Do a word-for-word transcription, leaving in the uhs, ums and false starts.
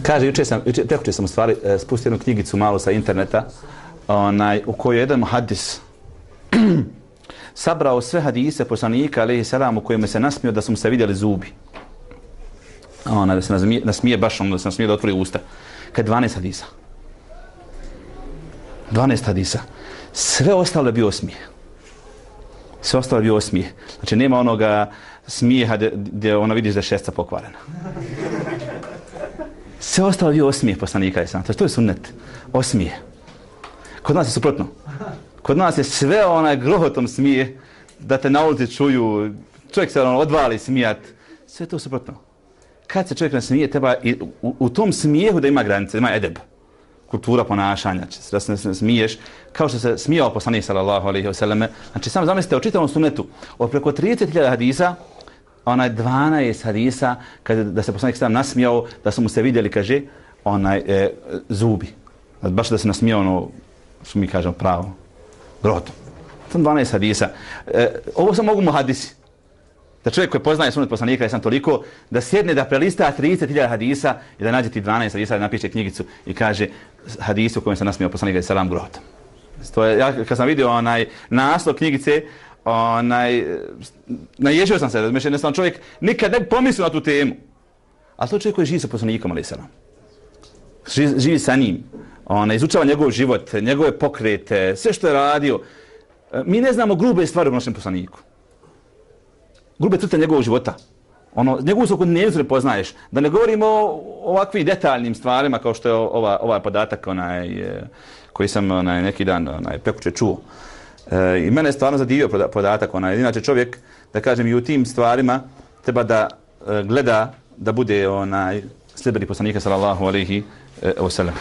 Kaže, juče sam, juče, prekuče sam u stvari e, spustio jednu knjigicu malo sa interneta, onaj, u kojoj je jedan muhadis sabrao sve hadise poslanika, alejhi selam, u kojima se nasmio da su mu se vidjeli zubi. Ona, da se nasmije, nasmije baš ono, da se nasmije da otvori usta. Kad dvanaest hadisa. dvanaest hadisa. Sve ostalo je bio osmijeh. Sve ostalo je bio osmijeh. Znači, nema onoga smijeha gdje ona vidiš da je šestica pokvarena. Sve ostalo je bio osmijeh poslanika. To, to je sunnet. Osmijeh. Kod nas je suprotno. Kod nas je sve onaj grohotom smije da te na ulici čuju, čovjek se ono odvali smijat. Sve to suprotno. Kad se čovjek nasmije, treba i u, u tom smijehu da ima granice, da ima edeb. Kultura ponašanja, da se ne smiješ, kao što se smijao poslanik sallallahu alejhi ve selleme. Znači, samo zamislite, o čitavom sunnetu, od preko trideset hiljada hadisa, onaj dvanaest hadisa, kada da se poslanik sallallahu nasmijao, da su mu se vidjeli, kaže, onaj e, zubi. Baš da se nasmijao ono, što mi kažemo, pravo, grotom. To je dvanaest hadisa. E, ovo samo mogu mu hadisi. Da čovjek koji poznaje sunnet poslanika, jesam toliko, da sjedne da prelista trideset hiljada hadisa i da nađe ti dvanaest hadisa, da napiše knjigicu i kaže hadisu u kojem se nasmijao poslanika i salam grotom. To je, ja kad sam vidio onaj naslov knjigice, onaj, naježio sam se, znači jednostavno čovjek nikad ne bi pomislio na tu temu. Ali to je čovjek koji živi sa poslanikom, ali salam. Živi, živi sa njim. Ona izučava njegov život, njegove pokrete, sve što je radio. Mi ne znamo grube stvari o našem poslaniku. Grube crte njegovog života. Ono, njegovu svakodnevnicu ne poznaješ. Da ne govorimo o ovakvim detaljnim stvarima kao što je ova, ovaj podatak onaj, koji sam onaj, neki dan onaj, prekuče čuo. E, I mene je stvarno zadivio podatak. Onaj. Inače čovjek, da kažem, i u tim stvarima treba da e, gleda da bude onaj, sljedbenik poslanika sallallahu alejhi ve sellem.